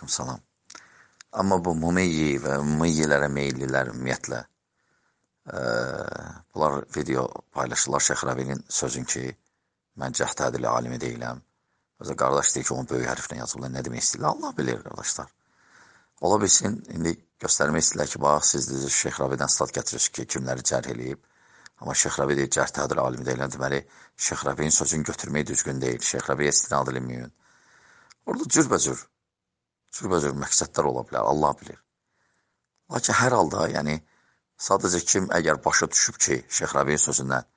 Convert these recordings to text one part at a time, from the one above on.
Salam. Amma bu Mumeyyi və Mumeyyilərə meyillilər ümumiyyətlə, bunlar video paylaşırlar Şeyx Rəbinin sözün ki, mən cəhdədili alimi deyiləm. Özə qardaş deyir ki, onu böyük hərflə yazıblar, nə demək istəyirlər? Allah bilir, qardaşlar. Ola bilsin, indi göstərmək istəyirlər ki, bax, siz deyir, Şeyx Rəbidən stat gətirirsiniz ki, kimləri cərh eləyib. Amma Şeyx Rəbi deyir, cəhdədili alimi deyiləm, deməli, Şeyx Rəbinin sözünü götürmək düzgün deyil, Şeyx Rəbiyə istinad edilməyin. Orada cürbəcür məqsədlər ola bilər, Allah bilir. Lakin hər halda, yəni, sadəcə kim əgər başa düşüb ki, Şeyx Rəbiyin sözündən,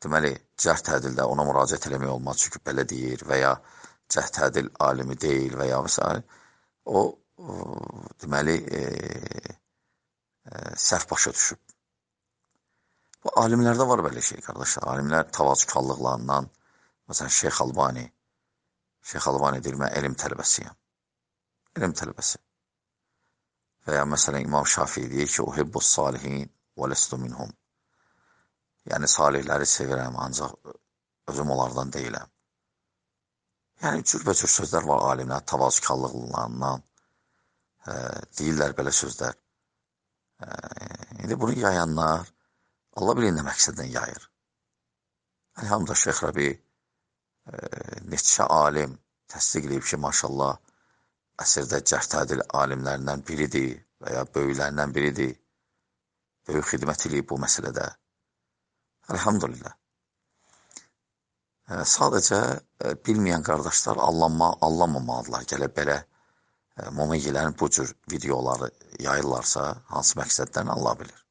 deməli, cərh tədildə ona müraciət eləmək olmaz, çünki belə deyir və ya cərh tədil alimi deyil və ya və o, deməli, səhv başa düşüb. Bu, alimlərdə var belə şey, qardaşlar. Alimlər tavazükarlıqlarından, məsələn, Şeyx Albani deyir, mən elm tələbəsiyəm. Elm tələbəsi. Və ya məsələn İmam Şafii deyir ki, uhibbus salihin və lestu minhum. Yəni salihləri sevirəm, ancaq özüm onlardan deyiləm. Yəni cürbəcür sözlər var alimlər, tavazükarlıqlarından deyirlər belə sözlər. İndi bunu yayanlar Allah bilir nə məqsədlə yayır. Elhamdülillah Şeyx Rəbi neçə alim təsdiq edib ki, maşallah, əsrdə cərh tədil alimlərindən biridir və ya böyüklərindən biridir. Böyük xidmət edib bu məsələdə. Elhamdülillah. Sadəcə bilməyən qardaşlar allanmamalıdırlar. Gələ belə Mumeyyilərin bu cür videoları yayırlarsa, hansı məqsədlərini Allah bilir.